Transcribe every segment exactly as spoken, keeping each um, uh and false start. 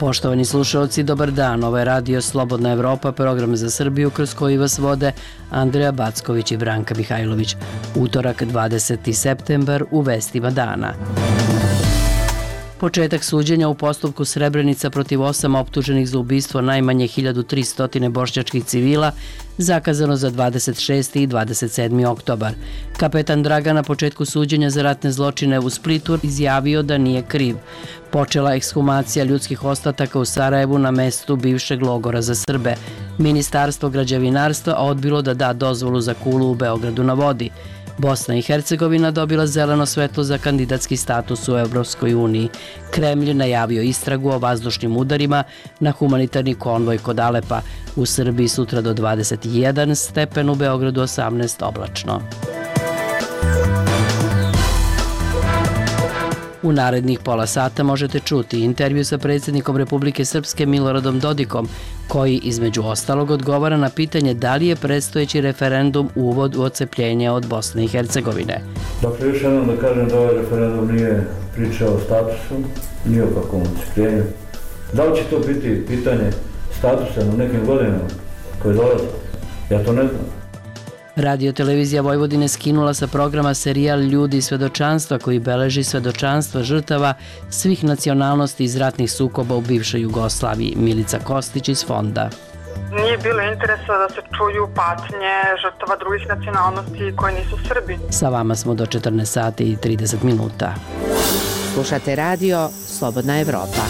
Poštovani slušalci, dobar dan. Ovo je Radio Slobodna Evropa, program za Srbiju kroz koji vas vode Andreja Backović i Branka Mihajlović. Utorak, dvadeseti septembar, u vestima dana. Početak suđenja u postupku Srebrenica protiv osam optuženih za ubistvo najmanje hiljadu tristo bošnjačkih civila zakazano za dvadeset šesti i dvadeset sedmi oktobar. Kapetan Draga na početku suđenja za ratne zločine u Splitu izjavio da nije kriv. Počela ekshumacija ljudskih ostataka u Sarajevu na mestu bivšeg logora za Srbe. Ministarstvo građevinarstva odbilo da da dozvolu za kulu u Beogradu na vodi. Bosna i Hercegovina dobila zeleno svetlo za kandidatski status u Evropskoj uniji. Kremlj najavio istragu o vazdušnim udarima na humanitarni konvoj kod Alepa. U Srbiji sutra do dvadeset jedan stepen, u Beogradu osamnaest oblačno. U narednih pola sata možete čuti intervju sa predsjednikom Republike Srpske Miloradom Dodikom, koji između ostalog odgovara na pitanje da li je predstojeći referendum uvod u odcepljenje od Bosne i Hercegovine. Dakle, još jednom da kažem da ovaj referendum nije priča o statusu, nije o kakvom odcepljenju. Da li će to biti pitanje statusa na nekim godinama koje dolaze? Ja to ne znam. Radio televizija Vojvodine skinula sa programa serijal Ljudi svedočanstva koji beleži svedočanstva žrtava svih nacionalnosti iz ratnih sukoba u bivšoj Jugoslaviji. Milica Kostić iz Fonda. Nije bilo interesa da se čuju patnje žrtava drugih nacionalnosti koji nisu Srbi. Sa vama smo do četrnaest sati i trideset minuta. Slušate radio Slobodna Evropa.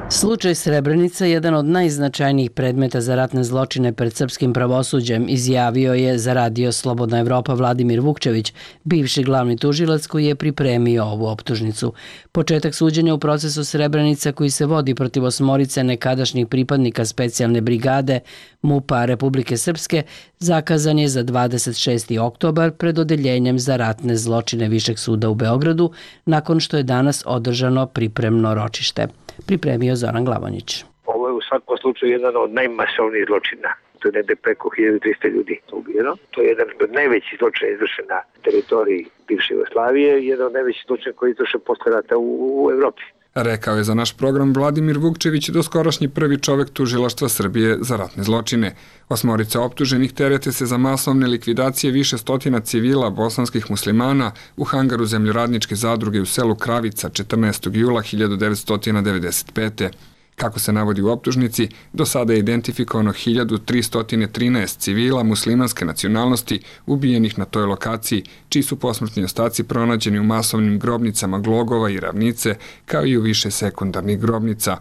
Slučaj Srebrenica, jedan od najznačajnijih predmeta za ratne zločine pred srpskim pravosuđem, izjavio je za Radio Slobodna Evropa Vladimir Vukčević, bivši glavni tužilac koji je pripremio ovu optužnicu. Početak suđenja u procesu Srebrenica koji se vodi protiv osmorice nekadašnjih pripadnika specijalne brigade MUP-a Republike Srpske zakazan je za dvadeset šesti oktobar pred odeljenjem za ratne zločine Višeg suda u Beogradu, nakon što je danas održano pripremno ročište. Pripremio Zoran Glavonjić. Ovo je u svakom slučaju jedan od najmasovnijih zločina. To je negde preko hiljadu trista ljudi ubijeno. To je jedan od najvećih zločina izvršen na teritoriji bivše Jugoslavije i jedan od najvećih zločina koji je izvršen posle rata u, u Evropi. Rekao je za naš program Vladimir Vukčević, doskorašnji prvi čovek tužilaštva Srbije za ratne zločine. Osmorica optuženih terete se za masovne likvidacije više stotina civila bosanskih muslimana u hangaru zemljoradničke zadruge u selu Kravica četrnaestog jula hiljadu devetsto devedeset pete. Kako se navodi u optužnici, do sada je identifikovano hiljadu tristo trinaest civila muslimanske nacionalnosti ubijenih na toj lokaciji, čiji su posmrtni ostaci pronađeni u masovnim grobnicama Glogova i Ravnice, kao i u više sekundarnih grobnica.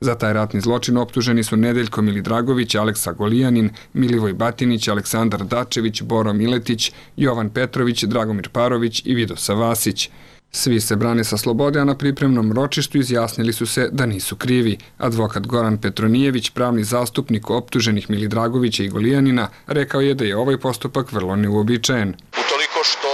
Za taj ratni zločin optuženi su Nedeljko Milidragović, Aleksa Golijanin, Milivoj Batinić, Aleksandar Dačević, Boro Miletić, Jovan Petrović, Dragomir Parović i Vidosa Vasić. Svi se brane sa slobode, a na pripremnom ročištu izjasnili su se da nisu krivi. Advokat Goran Petronijević, pravni zastupnik optuženih Milidragovića i Golijanina, rekao je da je ovaj postupak vrlo neuobičajen. Utoliko što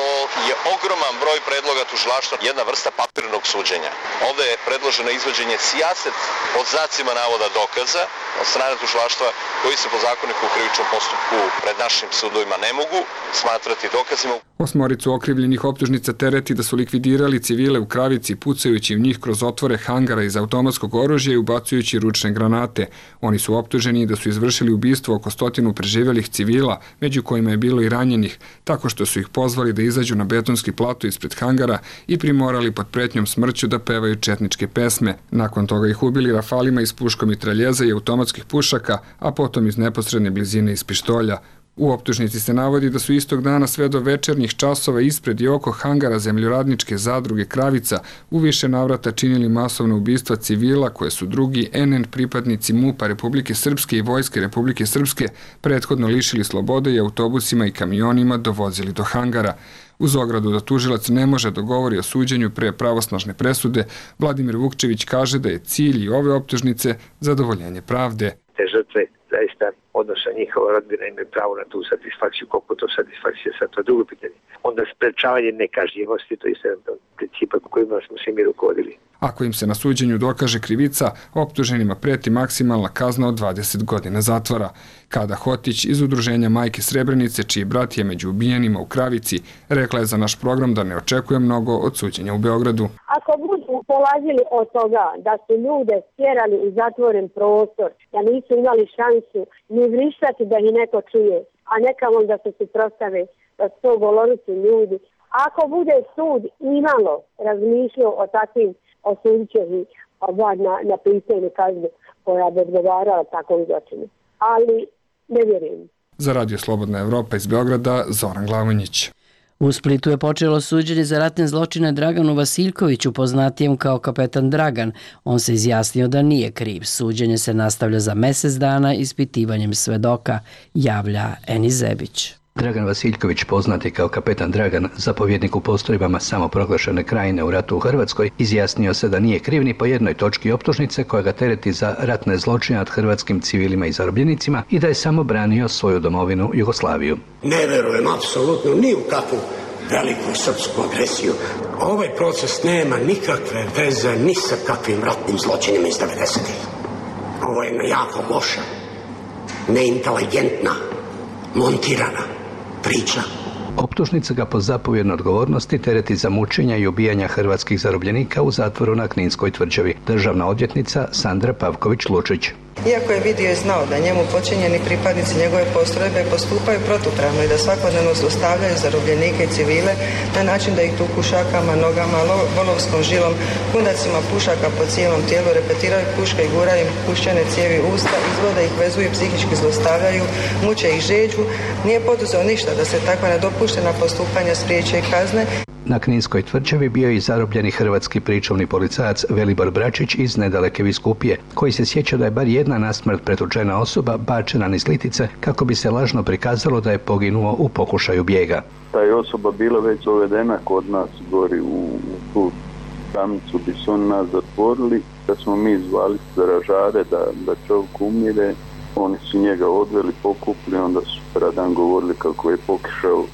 je ogroman broj predloga tužilaštva jedna vrsta papirnog suđenja. Ovde je predloženo izvođenje sijaset pod znacima navoda dokaza od strane tužilaštva koji se po zakoniku u krivičnom postupku pred našim sudovima ne mogu smatrati dokazima. Osmoricu okrivljenih optužnica tereti da su likvidirali civile u Kravici pucajući u njih kroz otvore hangara iz automatskog oružja i ubacujući ručne granate. Oni su optuženi da su izvršili ubistvo oko stotinu preživelih civila, među kojima je bilo i ranjenih, tako što su ih pozvali da izađu na betonski plato ispred hangara i primorali pod pretnjom smrću da pevaju četničke pesme. Nakon toga ih ubili rafalima iz puškomitraljeza i automatskih pušaka, a potom iz neposredne blizine iz pištolja. U optužnici se navodi da su istog dana sve do večernjih časova ispred i oko hangara zemljoradničke zadruge Kravica u više navrata činili masovna ubistva civila koje su drugi en en pripadnici MUP-a Republike Srpske i Vojske Republike Srpske prethodno lišili slobode i autobusima i kamionima dovozili do hangara. Uz ogradu da tužilac ne može dogovori o suđenju pre pravosnažne presude, Vladimir Vukčević kaže da je cilj i ove optužnice zadovoljenje pravde. Te žrtve zaista odnosno njihova rodbina imaju pravo na tu satisfakciju, koliko to satisfakcija sad, to je drugo pitanje. Onda sprečavanje nekažnjivosti, to je jedan od principa kojima smo se mi rukovodili. Ako im se na suđenju dokaže krivica, optuženima preti maksimalna kazna od dvadeset godina zatvora. Kada Hotić iz udruženja Majke Srebrenice, čiji brat je među ubijenima u Kravici, rekla je za naš program da ne očekuje mnogo od suđenja u Beogradu. Ako budu polazili od toga da su ljude stjerali u zatvoren prostor, da nisu imali šansu ni vrištati da ih neko čuje, a nekamo da se suprotstave, da su to goloruci ljudi. Ako bude sud imalo razmišljao o takvim, osudit će ih na, na pisanje kazne koja bi odgovarala takvom zločinu. Ali ne vjerujem. Za Radio Slobodna Evropa iz Beograda, Zoran Glavonjić. U Splitu je počelo suđenje za ratne zločine Draganu Vasiljkoviću, poznatijem kao kapetan Dragan. On se izjasnio da nije kriv. Suđenje se nastavlja za mesec dana ispitivanjem svedoka, javlja Eni Zebić. Dragan Vasiljković, poznati kao kapetan Dragan, zapovjednik u postrojbama samoproglašene Krajine u ratu u Hrvatskoj, izjasnio se da nije kriv ni po jednoj točki optužnice koja ga tereti za ratne zločine nad hrvatskim civilima i zarobljenicima i da je samo branio svoju domovinu Jugoslaviju. Ne verujem apsolutno ni u kakvu veliku srpsku agresiju. Ovaj proces nema nikakve veze ni sa kakvim ratnim zločinima iz devedesetih. Ovo je jako loša, neinteligentna, montirana priča. Optužnica ga po zapovjednoj odgovornosti tereti za mučenja i ubijanja hrvatskih zarobljenika u zatvoru na Kninskoj tvrđavi. Državna odvjetnica Sandra Pavković-Lučić. Iako je vidio i znao da njemu počinjeni pripadnici njegove postrojbe postupaju protupravno i da svakodnevno zlostavljaju zarobljenike i civile na način da ih tuku šakama, nogama, volovskom žilom, kundacima pušaka po cijelom tijelu, repetiraju puške i guraju im puščane cijevi usta, izvode ih, vezuju i psihički zlostavljaju, muče ih žeđu, nije poduzeo ništa da se takva nedopuštena postupanja spriječe i kazne. Na Kninskoj tvrđavi bio je i zarobljeni hrvatski pričuvni policajac Velibor Bračić iz nedaleke Biskupije, koji se sjeća da je bar jedna na smrt pretučena osoba bačena niz litice kako bi se lažno prikazalo da je poginuo u pokušaju bijega. Ta je osoba bila već dovedena kod nas gori u tu tamnicu gdje su oni nas zatvorili, da smo mi zvali stražare da, da čovjek umire. Oni su njega odveli, pokupili, onda su sutradan govorili kako je pokušao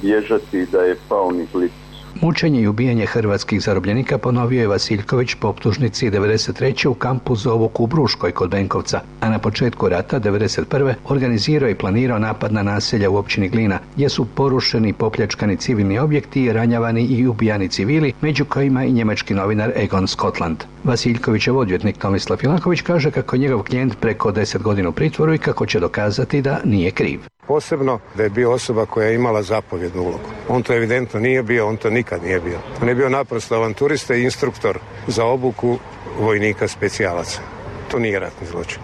bježati i da je pao niz litice. Mučenje i ubijanje hrvatskih zarobljenika ponovio je Vasiljković po optužnici devedeset treće u kampu Zovuk u Bruškoj kod Benkovca, a na početku rata devedeset prve organizirao i planirao napad na naselja u općini Glina, gdje su porušeni i popljačkani civilni objekti, ranjavani i ubijani civili, među kojima i njemački novinar Egon Skotland. Vasiljkovićev odvjetnik Tomislav Filaković kaže kako je njegov klijent preko deset godina u pritvoru i kako će dokazati da nije kriv. Posebno da je bio osoba koja je imala zapovjednu ulogu. On to evidentno nije bio, on to nikad nije bio. On je bio naprosto avanturista i instruktor za obuku vojnika specijalaca. To nije ratni zločin.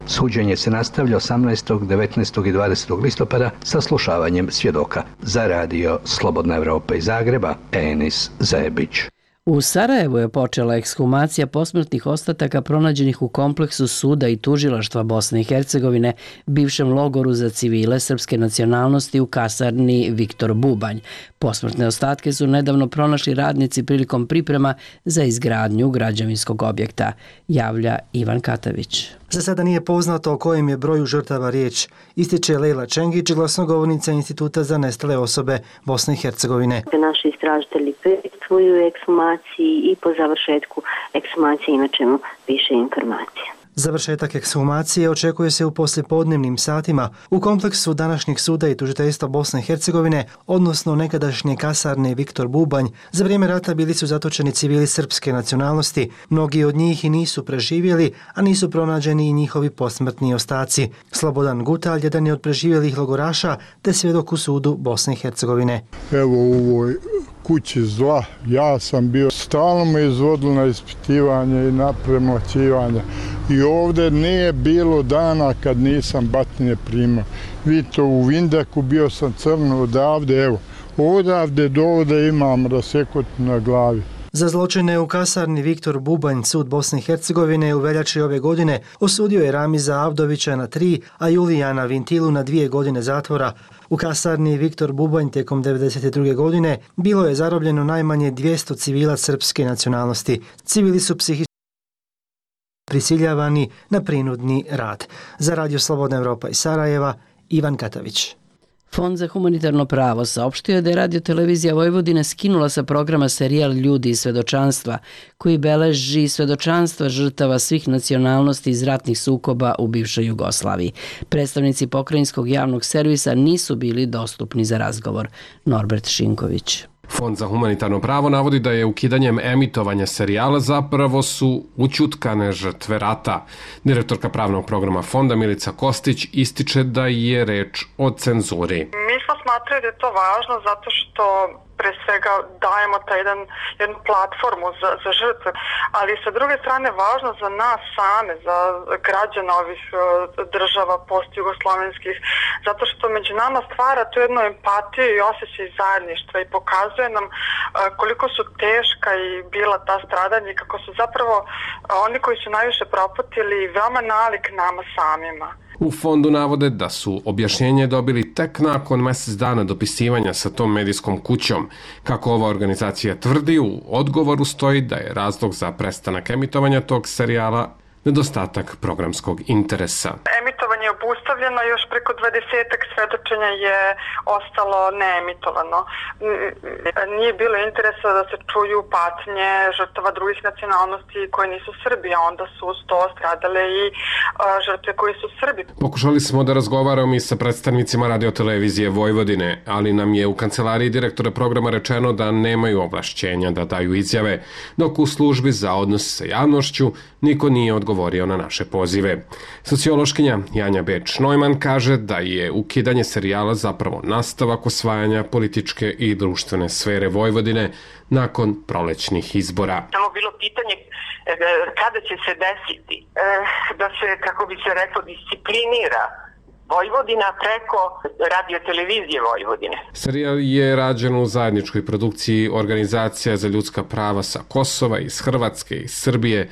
Suđenje se nastavlja osamnaestog, devetnaestog i dvadesetog listopada sa slušavanjem svjedoka. Za radio Slobodna Evropa iz Zagreba, Enis Zebić. U Sarajevu je počela ekshumacija posmrtnih ostataka pronađenih u kompleksu suda i tužilaštva Bosne i Hercegovine, bivšem logoru za civile srpske nacionalnosti u kasarni Viktor Bubanj. Posmrtne ostatke su nedavno pronašli radnici prilikom priprema za izgradnju građevinskog objekta, javlja Ivan Katavić. Za sada nije poznato o kojem je broju žrtava riječ, ističe Lejla Čengić, glasnogovornica Instituta za nestale osobe Bosne i Hercegovine. Naši istražitelji prisustvuju ekshumaciji i po završetku ekshumacije imat ćemo više informacija. Završetak ekshumacije očekuje se u poslijepodnevnim satima u kompleksu današnjeg suda i tužiteljstva Bosne i Hercegovine, odnosno nekadašnje kasarne Viktor Bubanj. Za vrijeme rata bili su zatočeni civili srpske nacionalnosti. Mnogi od njih i nisu preživjeli, a nisu pronađeni i njihovi posmrtni ostaci. Slobodan Gutalj, jedan je od preživjelih logoraša, te svjedok u sudu Bosne i Hercegovine. Evo u ovoj kući zla, ja sam bio, stalno me izvodilo na ispitivanje i na premlaćivanje. I ovdje nije bilo dana kad nisam batine primao. Vidite, u Vindaku bio sam crno odavde, evo, odavde do ovdje imam rasekot na glavi. Za zločine u kasarni Viktor Bubanj sud Bosne i Hercegovine u veljači ove godine osudio je Ramiza Avdovića na tri, a Julijana Vintilu na dvije godine zatvora. U kasarni Viktor Bubanj tijekom devedeset druge godine bilo je zarobljeno najmanje dvjesto civila srpske nacionalnosti. Civili su psihički prisiljavani na prinudni rad. Za radio Slobodna Evropa iz Sarajeva, Ivan Katavić. Fond za humanitarno pravo saopštio je da je Radio Televizija Vojvodine skinula sa programa serijal Ljudi iz svedočanstva, koji beleži svedočanstva žrtava svih nacionalnosti iz ratnih sukoba u bivšoj Jugoslaviji. Predstavnici pokrajinskog javnog servisa nisu bili dostupni za razgovor. Norbert Šinković. Fond za humanitarno pravo navodi da je ukidanjem emitovanja serijala zapravo su ućutkane žrtve rata. Direktorka pravnog programa fonda Milica Kostić ističe da je reč o cenzuri. Mi smo smatrali da je to važno zato što pre svega dajemo taj jedan, jednu platformu za, za žrtve, ali sa druge strane važno za nas same, za građana ovih država post-jugoslovenskih, zato što među nama stvara tu jednu empatiju i osjećaj zajedništva i pokazuje nam koliko su teška i bila ta stradanja i kako su zapravo oni koji su najviše propatili veoma nalik nama samima. U fondu navode da su objašnjenje dobili tek nakon mesec dana dopisivanja sa tom medijskom kućom. Kako ova organizacija tvrdi, u odgovoru stoji da je razlog za prestanak emitovanja tog serijala nedostatak programskog interesa. Emitovanje je obustavljeno, još preko dvadesetak svedočenja je ostalo neemitovano. Nije bilo interesa da se čuju patnje žrtava drugih nacionalnosti koji nisu Srbi, a onda su uz to stradale i žrtve koji su Srbi. Pokušali smo da razgovaramo i sa predstavnicima Radio Televizije Vojvodine, ali nam je u kancelariji direktora programa rečeno da nemaju ovlašćenja da daju izjave, dok u službi za odnos sa javnošću niko nije odgovorio na naše pozive. Sociološkinja Janja Beč-Neumann kaže da je ukidanje serijala zapravo nastavak osvajanja političke i društvene sfere Vojvodine nakon prolećnih izbora. Samo bilo pitanje kada će se desiti da se, kako bi se reklo, disciplinira Vojvodina preko Radio Televizije Vojvodine. Serijal je rađen u zajedničkoj produkciji Organizacija za ljudska prava sa Kosova, iz Hrvatske, iz Srbije,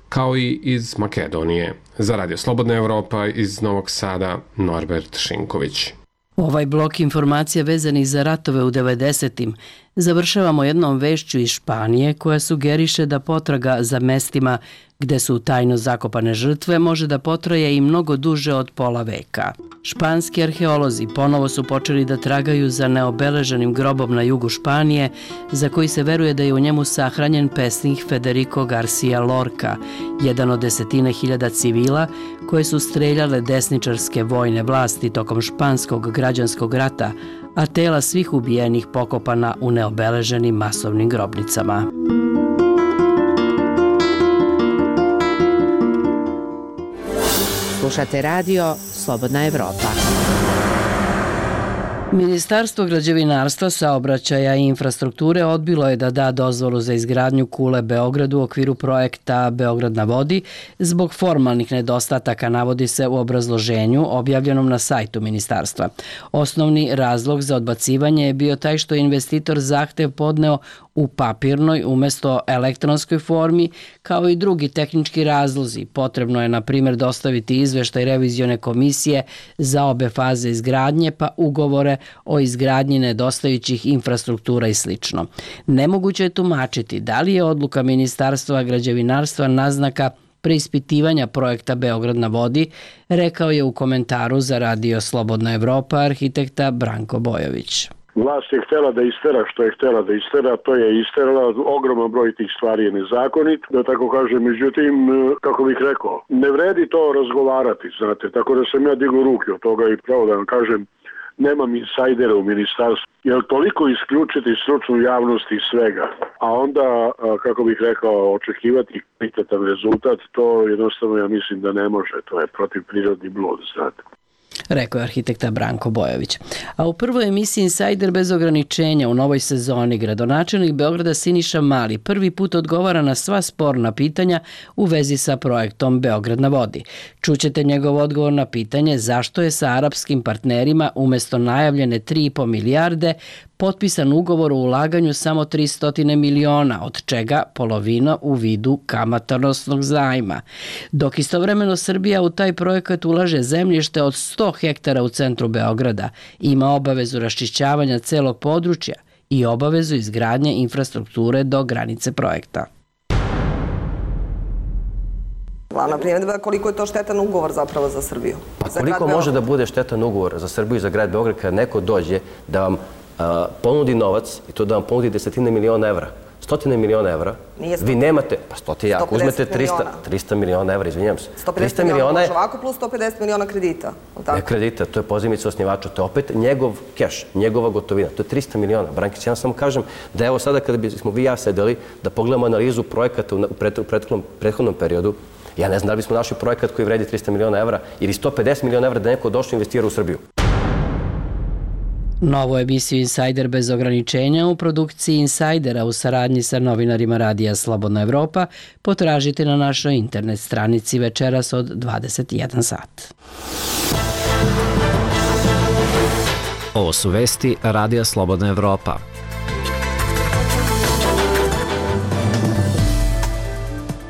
kao i iz Makedonije. Za Radio Slobodna Evropa iz Novog Sada, Norbert Šinković. Ovaj blok informacija vezanih za ratove u devedesetim završavamo jednom vešću iz Španije koja sugeriše da potraga za mestima gde su tajno zakopane žrtve može da potraje i mnogo duže od pola veka. Španski arheolozi ponovo su počeli da tragaju za neobeleženim grobom na jugu Španije, za koji se veruje da je u njemu sahranjen pesnik Federico Garcia Lorca, jedan od desetine hiljada civila koje su streljale desničarske vojne vlasti tokom španskog građanskog rata, a tela svih ubijenih pokopana u neobeleženim masovnim grobnicama. Slušate radio Slobodna Evropa. Ministarstvo građevinarstva, saobraćaja i infrastrukture odbilo je da da dozvolu za izgradnju kule Beogradu u okviru projekta Beograd na vodi zbog formalnih nedostataka, navodi se u obrazloženju objavljenom na sajtu ministarstva. Osnovni razlog za odbacivanje je bio taj što je investitor zahtev podneo u papirnoj umesto elektronskoj formi, kao i drugi tehnički razlozi. Potrebno je, na primjer, dostaviti izveštaj revizione komisije za obe faze izgradnje, pa ugovore o izgradnji nedostajućih infrastruktura i sl. Nemoguće je tumačiti da li je odluka Ministarstva građevinarstva naznaka preispitivanja projekta Beograd na vodi, rekao je u komentaru za Radio Slobodna Evropa arhitekta Branko Bojović. Vlast je htjela da istera što je htjela da istera, to je isterala, ogroman broj tih stvari je nezakonit, da tako kažem, međutim, kako bih rekao, ne vredi to razgovarati, znate, tako da sam ja digao ruke od toga i pravo da vam kažem, nemam insajdera u ministarstvu, jer toliko isključiti stručnu javnost i svega, a onda, kako bih rekao, očekivati kvalitetan rezultat, to jednostavno ja mislim da ne može, to je protiv prirodni blud, znate. Rekao je arhitekta Branko Bojović. A u prvoj emisiji Insajder bez ograničenja u novoj sezoni gradonačelnik Beograda Siniša Mali prvi put odgovara na sva sporna pitanja u vezi sa projektom Beograd na vodi. Čućete njegov odgovor na pitanje zašto je sa arapskim partnerima umesto najavljene tri i po milijarde potpisan ugovor o ulaganju samo tristo miliona, od čega polovina u vidu kamatonosnog zajma. Dok istovremeno Srbija u taj projekat ulaže zemljište od sto hektara u centru Beograda, ima obavezu raščišćavanja celog područja i obavezu izgradnje infrastrukture do granice projekta. Glavna primjedba je koliko je to štetan ugovor zapravo za Srbiju. Pa koliko može da bude štetan ugovor za Srbiju i za grad Beograd kada neko dođe da vam a, ponudi novac i to da vam ponudi desetine miliona evra, stotine miliona evra, vi nemate, pa stotine, ako uzmete trista miliona evra, izvinjam se. sto pedeset miliona može ovako plus sto pedeset miliona kredita. Ne kredita, to je pozajmica osnivača, to je opet njegov keš, njegova gotovina, to je trista miliona. Brankić, ja samo kažem da evo sada kada bismo vi i ja sedeli da pogledamo analizu projekata u prethodnom periodu, ja ne znam da li bismo našli projekat koji vredi trista miliona evra ili sto pedeset miliona evra da neko došlo investira u Srbiju. Novu emisiju Insider bez ograničenja u produkciji Insidera u saradnji sa novinarima Radija Slobodna Evropa potražite na našoj internet stranici večeras od dvadeset jedan sat. Ovo su vesti Radija Slobodna Evropa.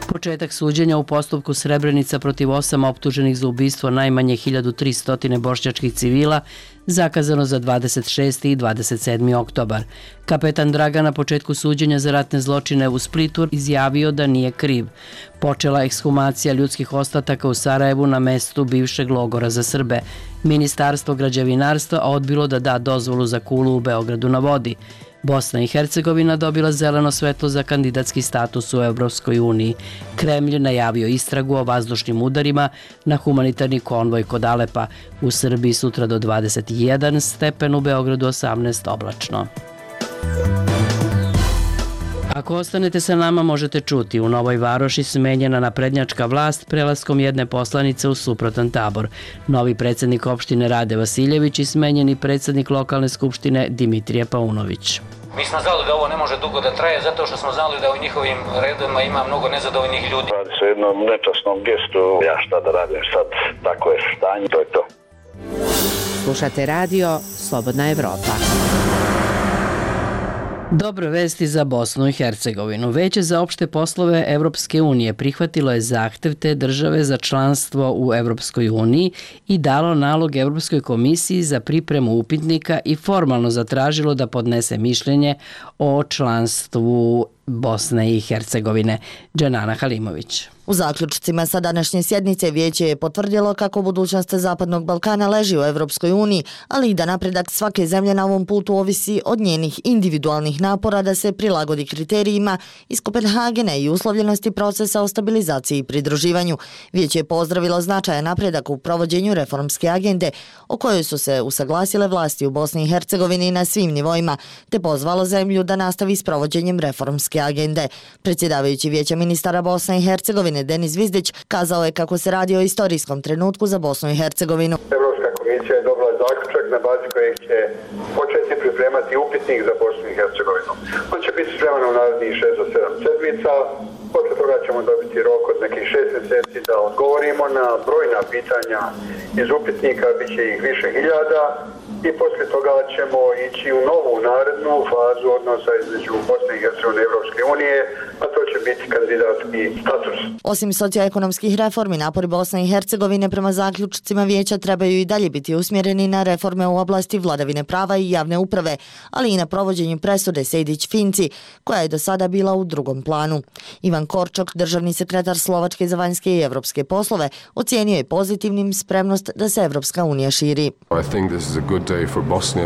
Početak suđenja u postupku Srebrenica protiv osam optuženih za ubistvo najmanje hiljadu tristo bošnjačkih civila zakazano za dvadeset šesti i dvadeset sedmi oktobar. Kapetan Dragan na početku suđenja za ratne zločine u Splitu izjavio da nije kriv. Počela ekshumacija ljudskih ostataka u Sarajevu na mestu bivšeg logora za Srbe. Ministarstvo građevinarstva odbilo da da dozvolu za kulu u Beogradu na vodi. Bosna i Hercegovina dobila zeleno svetlo za kandidatski status u Evropskoj uniji. Kremlj najavio istragu o vazdušnim udarima na humanitarni konvoj kod Alepa. U Srbiji sutra do dvadeset jedan stepen, u Beogradu osamnaest oblačno. Ako ostanete sa nama, možete čuti: u Novoj Varoši smenjena naprednjačka vlast prelaskom jedne poslanice u suprotan tabor. Novi predsjednik opštine Rade Vasiljević i smenjeni predsjednik lokalne skupštine Dimitrije Paunović. Mi smo znali da ovo ne može dugo da traje zato što smo znali da u njihovim redovima ima mnogo nezadovoljnih ljudi. Radi se o jednom nečasnom gestu, ja šta da radim sad, tako je stanje, to je to. Slušate radio Slobodna Evropa. Dobre vesti za Bosnu i Hercegovinu. Veće za opšte poslove Evropske unije prihvatilo je zahtev te države za članstvo u Evropskoj uniji i dalo nalog Evropskoj komisiji za pripremu upitnika i formalno zatražilo da podnese mišljenje o članstvu Bosne i Hercegovine. Dženana Halimović. U zaključcima sa današnje sjednice vijeće je potvrdilo kako budućnost Zapadnog Balkana leži u Evropskoj uniji, ali i da napredak svake zemlje na ovom putu ovisi od njenih individualnih napora da se prilagodi kriterijima iz Kopenhagena i uslovljenosti procesa o stabilizaciji i pridruživanju. Vijeće je pozdravilo značajan napredak u provođenju reformske agende o kojoj su se usaglasile vlasti u Bosni i Hercegovini na svim nivoima, te pozvalo zemlju da nastavi s provođenjem reformske agende. Predsjedavajući vijeća ministara Bosne i Hercegovine Denis Vizdić kazao je kako se radi o istorijskom trenutku za Bosnu i Hercegovinu. Evropska komisija je dobila zaključak na bazi kojeg će početi pripremati upitnik za Bosnu i Hercegovinu. On će biti spreman u narednih šest do sedam sedmica. Posle toga ćemo dobiti rok od nekih šest mjeseci da odgovorimo na brojna pitanja iz upitnika, bit će ih više hiljada. I poslije toga ćemo ići u novu narednu fazu odnosa između Bosne i Hercegovine i Evropske unije, a to će biti kandidatski status. Osim socioekonomskih reformi, napori Bosne i Hercegovine prema zaključcima vijeća trebaju i dalje biti usmjereni na reforme u oblasti vladavine prava i javne uprave, ali i na provođenju presude Sejdić-Finci, koja je do sada bila u drugom planu. Ivan Korčok, državni sekretar Slovačke za vanjske i evropske poslove, ocijenio je pozitivnim spremnost da se Evropska unija širi.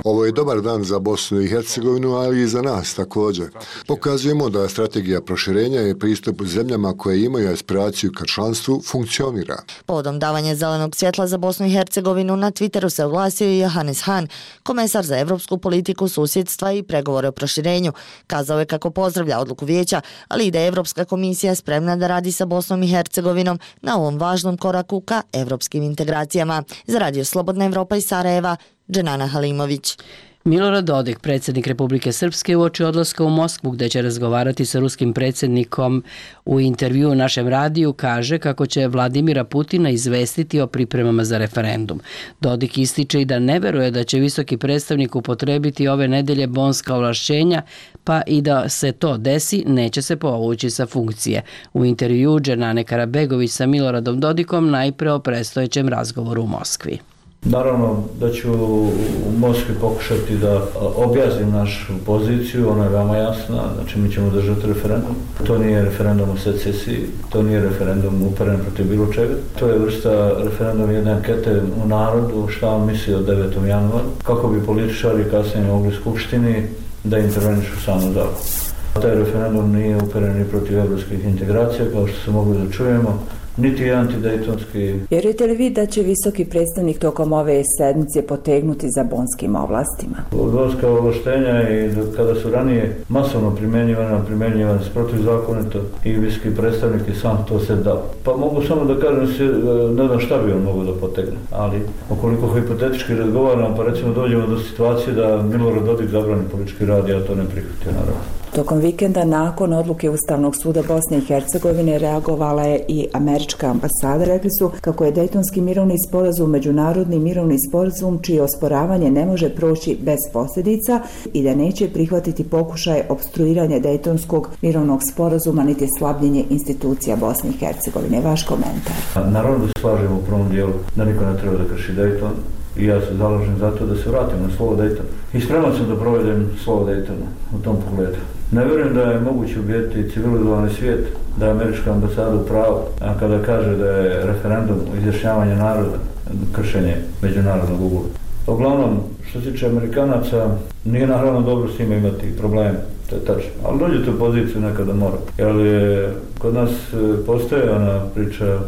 Ovo je dobar dan za Bosnu i Hercegovinu, ali i za nas također. Pokazujemo da strategija proširenja i pristup zemljama koje imaju aspiraciju ka članstvu funkcionira. Povodom davanja zelenog svjetla za Bosnu i Hercegovinu na Twitteru se oglasio i Johannes Hahn, komesar za evropsku politiku, susjedstva i pregovore o proširenju. Kazao je kako pozdravlja odluku vijeća, ali i da je Evropska komisija spremna da radi sa Bosnom i Hercegovinom na ovom važnom koraku ka evropskim integracijama. Za Radio Slobodna Evropa iz Sarajeva, Dženana Halimović. Milorad Dodik, predsjednik Republike Srpske, uoči odlaska u Moskvu gdje će razgovarati sa ruskim predsjednikom, u intervju u našem radiju kaže kako će Vladimira Putina izvestiti o pripremama za referendum. Dodik ističe i da ne veruje da će visoki predstavnik upotrebiti ove nedelje bonska ovlašćenja, pa i da se to desi, neće se povući sa funkcije. U intervju Dženane Karabegović sa Miloradom Dodikom najpre o predstojećem razgovoru u Moskvi. Naravno da ću u Moskvi pokušati da objasnim našu poziciju, ona je veoma jasna, znači mi ćemo držati referendum. To nije referendum o secesiji, to nije referendum uperen protiv bilo čega. To je vrsta referenduma jedne ankete u narodu, šta on misli o devetom januaru, kako bi političari kasnije mogli Skupštini da intervenišu samo zakon. Taj referendum nije uperen ni protiv evropskih integracija, kao što se mogli da čujemo, niti je antidejtonski. Vjerujete li vi da će visoki predstavnik tokom ove sedmice potegnuti za bonskim ovlastima? Bonska ovlaštenja i kada su ranije masovno primjenjivane, primjenjivane protivzakonito i visoki predstavnik i sam to se dao. Pa mogu samo da kažem, ne znam šta bi on mogao da potegne, ali ukoliko hipotetički razgovaram, pa recimo dođemo do situacije da Milorad Dodik zabrani politički rad, ja to ne prihvatio naravno. Tokom vikenda nakon odluke Ustavnog suda Bosne i Hercegovine reagovala je i američka ambasada. Rekli su kako je Dejtonski mirovni sporazum međunarodni mirovni sporazum čije osporavanje ne može proći bez posljedica i da neće prihvatiti pokušaj opstruiranja Dejtonskog mirovnog sporazuma niti slabljenje institucija Bosne i Hercegovine. Vaš komentar? Naravno da se slažemo u prvom dijelu da niko ne treba da krši Dejton. I ja se zalažem za to da se vratim na slovo Dejtona. I spreman sam da provedem slovo Dejtona u tom pogledu. Ne vjerujem da je moguće ubijeti civilizovani svijet, da je američka ambasada u pravu, a kada kaže da je referendum o izjašnjavanju naroda kršenje međunarodnog ugovora. Uglavnom, što se tiče Amerikanaca, nije naravno dobro s njima imati probleme, to je tačno. Ali dođete u poziciju nekada mora. Jer je, kod nas postoje ona priča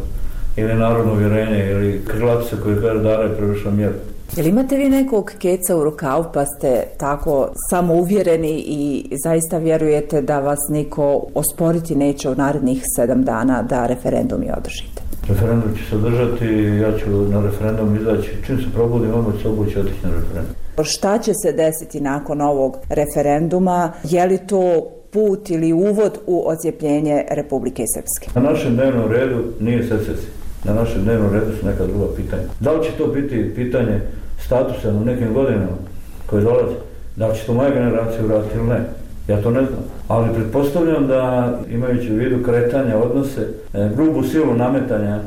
ili narodno uvjerenje ili krilatica koje kaže dara je prevršila mjeru. Jel imate vi nekog keca u rukavu pa ste tako samouvjereni i zaista vjerujete da vas niko osporiti neće u narednih sedam dana da referendum i održite? Referendum će se održati, ja ću na referendum izaći. Čim se probudim, odmah ću se obući otići na referendum. Šta će se desiti nakon ovog referenduma? Je li to put ili uvod u odcijepljenje Republike Srpske? Na našem dnevnom redu nije secesija. Na našem dnevnom redu su neka druga pitanja. Da li će to biti pitanje statusa u nekim godinama koje dolaze? Da li će to moja generacija uraditi ili ne? Ja to ne znam. Ali pretpostavljam da, imajući u vidu kretanja odnose, grubu silu nametanja,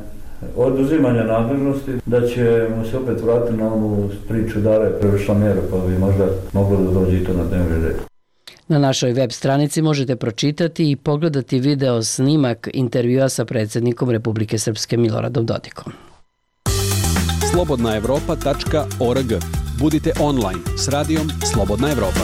oduzimanja nadležnosti, da ćemo se opet vratiti na onu priču dara je prevršila mjeru, pa bi možda moglo da dođe i to na dnevni red. Na našoj web stranici možete pročitati i pogledati video snimak intervjua sa predsjednikom Republike Srpske Miloradom Dodikom. slobodna evropa tačka org. Budite online s radijom Slobodna Evropa.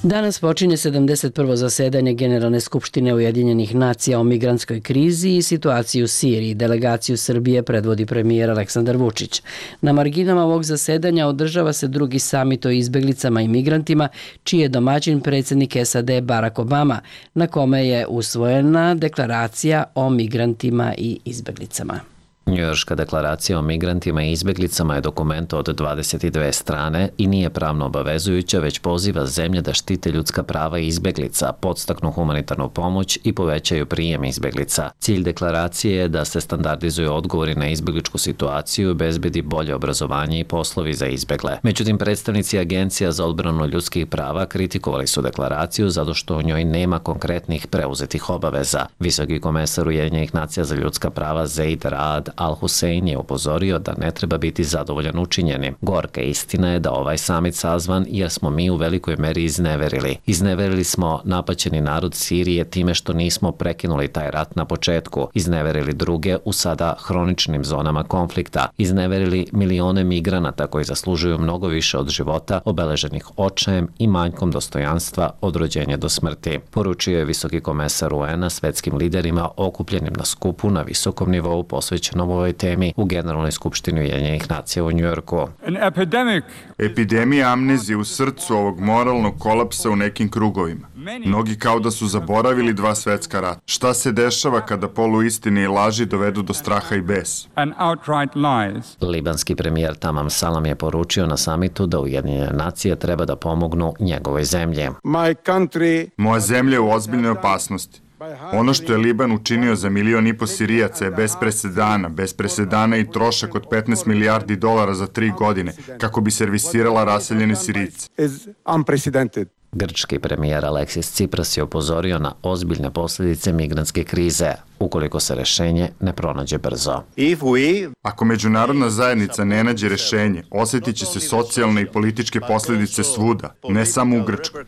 Danas počinje sedamdeset prvo zasedanje Generalne skupštine Ujedinjenih nacija o migrantskoj krizi i situaciji u Siriji. Delegaciju Srbije predvodi premijer Aleksandar Vučić. Na marginama ovog zasedanja održava se drugi samit o izbeglicama i migrantima, čiji je domaćin predsjednik S A D Barack Obama, na kome je usvojena deklaracija o migrantima i izbeglicama. Njujorška deklaracija o migrantima i izbjeglicama je dokument od dvadeset dve strane i nije pravno obavezujuća, već poziva zemlje da štite ljudska prava i izbjeglica, podstaknu humanitarnu pomoć i povećaju prijem izbjeglica. Cilj deklaracije je da se standardizuju odgovori na izbjegličku situaciju i bezbedi bolje obrazovanje i poslovi za izbjegle. Međutim, predstavnici Agencija za odbranu ljudskih prava kritikovali su deklaraciju zato što u njoj nema konkretnih preuzetih obaveza. Visoki komesar Ujedinjenih nacija za ljudska prava Zeid Raad Al-Hussein je upozorio da ne treba biti zadovoljan učinjenim. Gorka istina je da ovaj samit sazvan jer smo mi u velikoj meri izneverili. Izneverili smo napaćeni narod Sirije time što nismo prekinuli taj rat na početku. Izneverili druge u sada hroničnim zonama konflikta. Izneverili milione migranata koji zaslužuju mnogo više od života, obeleženih očajem i manjkom dostojanstva od rođenja do smrti. Poručio je visoki komesar U N-a svetskim liderima okupljenim na skupu na visokom nivou posvećenom ovoj temi u Generalnoj skupštini Ujedinjenih nacija u Njujorku. Epidemija amnezije u srcu ovog moralnog kolapsa u nekim krugovima. Mnogi kao da su zaboravili dva svetska rata. Šta se dešava kada poluistine i laži dovedu do straha i besa? Libanski premijer Tamam Salam je poručio na samitu da Ujedinjene nacije treba da pomognu njegovoj zemlji. Moja zemlja je u ozbiljnoj opasnosti. Ono što je Liban učinio za milion i po Sirijaca je bez presedana, bez presedana i trošak od petnaest milijardi dolara za tri godine, kako bi servisirala raseljene Sirijce. Grčki premijer Aleksis Tsipras je upozorio na ozbiljne posljedice migrantske krize, ukoliko se rešenje ne pronađe brzo. Ako međunarodna zajednica ne nađe rešenje, osjetit će se socijalne i političke posljedice svuda, ne samo u Grčkoj.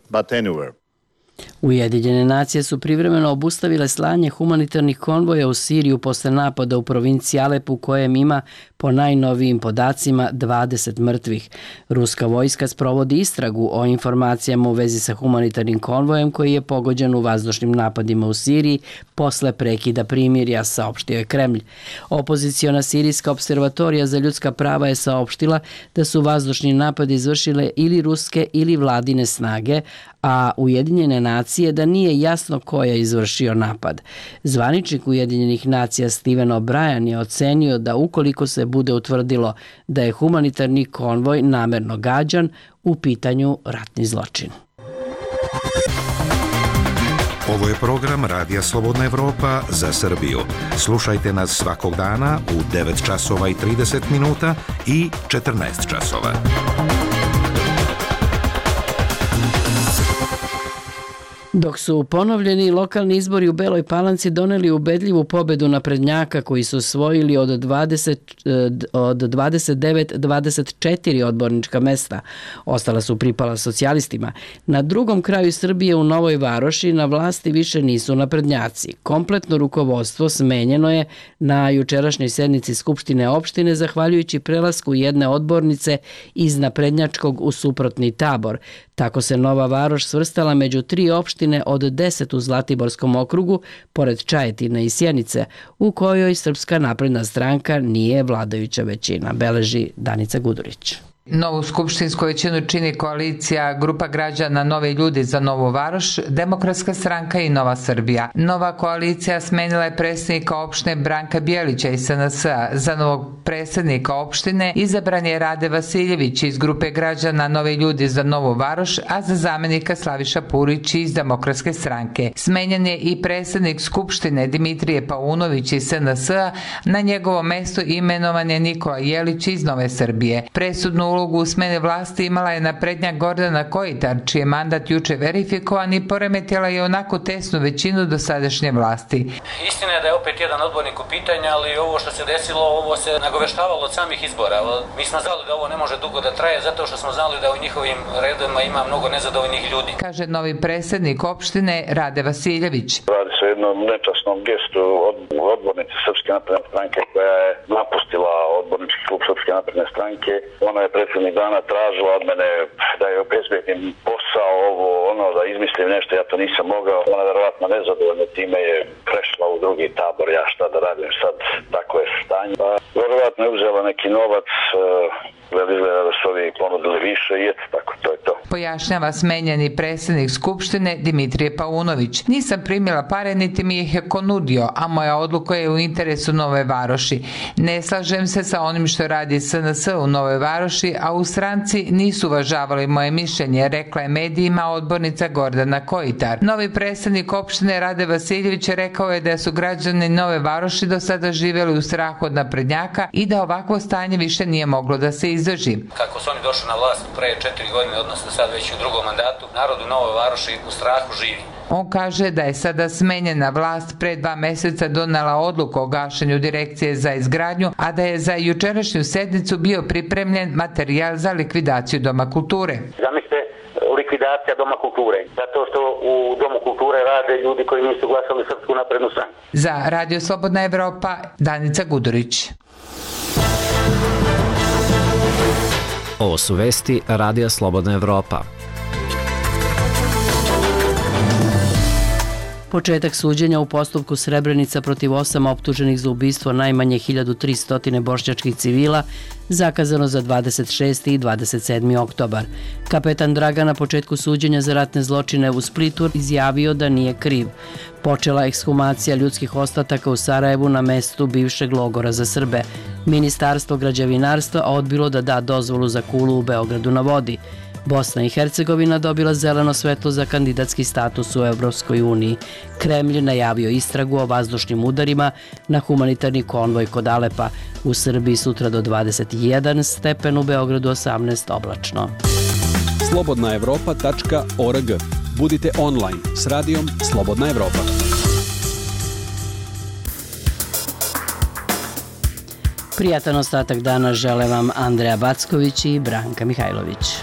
Ujedinjene nacije su privremeno obustavile slanje humanitarnih konvoja u Siriju posle napada u provinciji Alep u kojem ima po najnovijim podacima dvadeset mrtvih. Ruska vojska sprovodi istragu o informacijama u vezi sa humanitarnim konvojem koji je pogođen u vazdušnim napadima u Siriji posle prekida primirja, saopštio je Kremlj. Opoziciona sirijska observatorija za ljudska prava je saopštila da su vazdušni napadi izvršile ili ruske ili vladine snage, a Ujedinjene nacije da nije jasno ko je izvršio napad. Zvaničnik Ujedinjenih nacija Steven O'Brien je ocenio da ukoliko se bude utvrdilo da je humanitarni konvoj namerno gađan, u pitanju ratni zločin. Ovo je program Radija Slobodna Evropa za Srbiju. Slušajte nas svakog dana u devet časova i trideset minuta i četrnaest časova. Dok su ponovljeni lokalni izbori u Beloj Palanci doneli ubedljivu pobedu naprednjaka koji su osvojili od dvadeset, od dvadeset devet dvadeset četiri odbornička mesta. Ostala su pripala socijalistima. Na drugom kraju Srbije u Novoj Varoši na vlasti više nisu naprednjaci. Kompletno rukovodstvo smenjeno je na jučerašnjoj sednici Skupštine opštine zahvaljujući prelasku jedne odbornice iz naprednjačkog u suprotni tabor. Tako se Nova Varoš svrstala među tri opštine od deset u Zlatiborskom okrugu, pored Čajetine i Sjenice, u kojoj Srpska napredna stranka nije vladajuća većina, beleži Danica Gudurić. Novu skupštinsku većinu čini koalicija Grupa građana Novi ljudi za Novu Varoš, Demokratska stranka i Nova Srbija. Nova koalicija smenila je predsjednika opštine Branka Bjelića iz S N S-a. Za novog predsjednika opštine izabran je Rade Vasiljević iz Grupe građana Novi ljudi za Novu Varoš, a za zamenika Slaviša Purić iz Demokratske stranke. Smenjen je i predsjednik skupštine Dimitrije Paunović iz S N S-a. Na njegovo mesto imenovan je Nikola Jelić iz Nove Srbije. Presudnu ulogu u smene vlasti imala je naprednjak Gordana Kojitar, čiji je mandat juče verifikovan i poremetila je onako tesnu većinu dosadašnje vlasti. Istina je da je opet jedan odbornik u pitanju, ali ovo što se desilo, ovo se nagoveštavalo od samih izbora. Mi smo znali da ovo ne može dugo da traje, zato što smo znali da u njihovim redovima ima mnogo nezadovoljnih ljudi. Kaže novi predsjednik opštine Rade Vasiljević. Radi se o jednom nečasnom gestu od odbornice Srpske napredne stranke koja je napustila odbornički klub Srpske napredne stranke. Ona je prethodnih dana tražila od mene da je obezbedim posao, ovo, ono, da izmislim nešto, ja to nisam mogao. Ona je verovatno nezadovoljna time, je prešla u drugi tabor, ja šta da radim sad, tako je stanje. A, verovatno je uzela neki novac, gleda izgleda da su ovi ponudili više i eto, tako, to je to. Pojašnjava smenjeni predsjednik Skupštine Dimitrije Paunović. Nisam primila pare, niti mi ih je ko nudio, a moja odluka je u interesu Nove Varoši. Ne slažem se sa onim što radi S N S u Nove Varoši, a u stranci nisu uvažavali moje mišljenje, rekla je medijima odbornica Gordana Kojitar. Novi predsjednik opštine Rade Vasiljević rekao je da su građani Nove Varoši do sada živjeli u strahu od naprednjaka i da ovakvo stanje više nije moglo da se izdrži. Kako su oni došli na vlast pre četiri godine, odnosno sad već u drugom mandatu, narod u Novoj Varoši u strahu živi. On kaže da je sada smenjena vlast pre dva meseca donela odluku o gašenju direkcije za izgradnju, a da je za jučerašnju sednicu bio pripremljen materijal za likvidaciju Doma kulture. Zamislite, likvidacija Doma kulture, zato što u Domu kulture rade ljudi koji nisu glasali Srpsku naprednu stranku. Za Radio Slobodna Evropa, Danica Gudurić. Ovo su vesti Radija Slobodna Evropa. Početak suđenja u postupku Srebrenica protiv osam optuženih za ubistvo najmanje hiljadu tristo bošnjačkih civila zakazano za dvadeset šesti i dvadeset sedmi oktobar. Kapetan Dragan na početku suđenja za ratne zločine u Splitu izjavio da nije kriv. Počela ekshumacija ljudskih ostataka u Sarajevu na mestu bivšeg logora za Srbe. Ministarstvo građevinarstva odbilo da da dozvolu za kulu u Beogradu na vodi. Bosna i Hercegovina dobila zeleno svetlo za kandidatski status u Evropskoj uniji. Kremlj najavio istragu o vazdušnim udarima na humanitarni konvoj kod Alepa. U Srbiji sutra do dvadeset jedan stepen, u Beogradu osamnaest oblačno. slobodna evropa tačka org. Budite online s radijom Slobodna Evropa. Prijatan ostatak dana žele vam Andreja Backović i Branka Mihajlović.